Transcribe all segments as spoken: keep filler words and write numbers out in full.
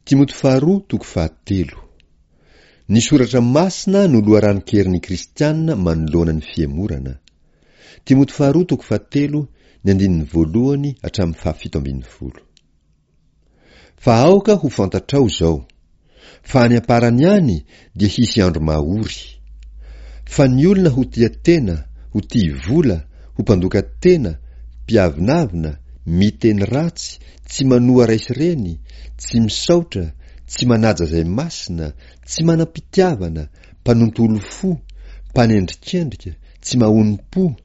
Timoty faharoa toko fahatelo. Ny soratra masina no loharanon-kerin'ny kristiana manoloana ny fihemorana. Timoty faharoa toko fahatelo, ny andininy voalohany hatramin'ny fahafito ambin'ny folo. Fa aoka ho fantatrao izao, fa any am-parany any dia hisy andro mahory. Fa ny olona ho tia tena, ho tia vola, ho mpandoka tena, mpiavonavona, miteny ratsy, tsy manoa ray sy reny, tsy misaotra, tsy manaja izay masina, tsy manam-pitiavana, mpanontolo fo, mpanendrikendrika, tsy mahonom-po,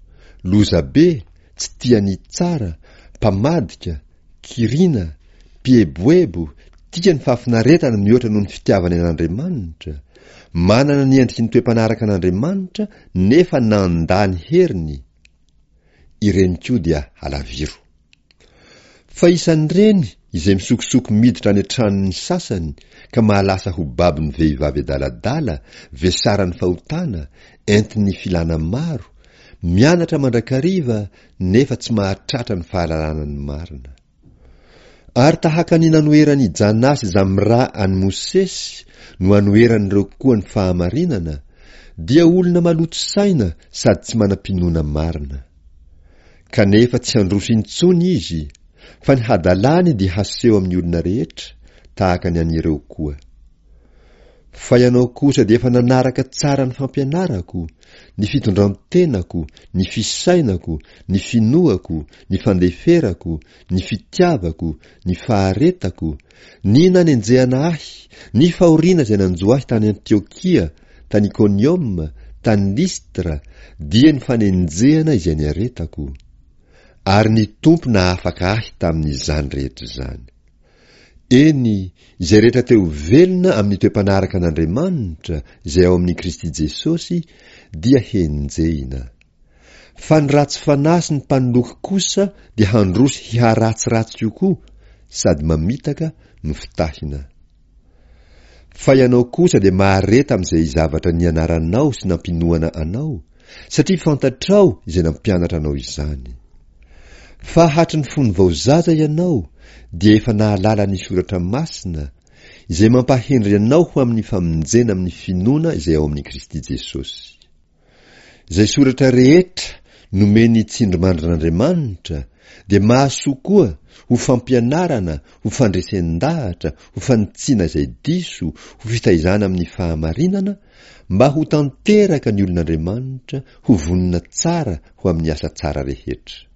lozabe, tsy tia ny tsara, mpamadika, kirina, mpieboebo, tia ny fahafinaretana mihoatra noho ny fitiavany an'Andriamanitra, manana ny endriky ny toe-panaraka an'Andriamanitra nefa nandà ny heriny, ireny koa dia halaviro. Fa isan'ireny izay misokosoko miditra any an-tranon'ny sasany ka mahalasa ho babon'ny vehivavy adaladala, vesaran'ny fahotana, entin'ny filàna maro, mianatra mandrakariva nefa tsy mahatratra ny fahalalana ny marina. Ary tahaka ny nanoheran'i Janà sy Jamrà an'i Mosesy no anoheran'ireo koa ny fahamarinana, dia olona maloto saina sady tsy manam-pinoana marina. Kanefa tsy handroso intsony izy, fa ny hadalany dia haseho amin'ny olona rehetra, tahaka ny an'ireo koa. Fa ianao kosa dia efa nanaraka tsara ny fampianarako, ny fitondran-tenako, ny fisainako, ny finoako, ny fandeferako, ny fitiavako, ny faharetako, ny nanenjehana ahy, ny fahoriana izay nanjo ahy tany Antiokia, tany Ikonioma, tany Listra, dia ny fanenjehana izay niaretako. Ary ny Tompo nahafaka ahy tamin'izany rehetra izany. Eny, izay rehetra te ho velona amin'ny toe-panaraka an'Andriamanitra izay ao amin'i Kristy Jesosy dia henjehina. Fa ny ratsy fanahy sy ny mpanoloky kosa dia handroso hiharatsiratsy kokoa sady mamitaka no fitahina. Fa ianao kosa dia mahareta amin'izay zavatra nianaranao sy nampinoana anao, satria fantatrao izay nampianatra anao izany. Fa hatry ny fony vao zaza ianao dia efa nahalala ny soratra masina, izay mampahendry anao ho amin'ny famonjena amin'ny finoana izay ao amin'i Kristy Jesosy. Izay soratra rehetra nomen'ny tsindrimandrin'Andriamanitra dia mahasoa koa ho fampianarana, ho fandresen-dahatra, ho fanitsiana izay diso, ho fitaizana amin'ny fahamarinana, mba ho tanteraka ny olon'Andriamanitra, ho vonona tsara ho amin'ny asa tsara rehetra.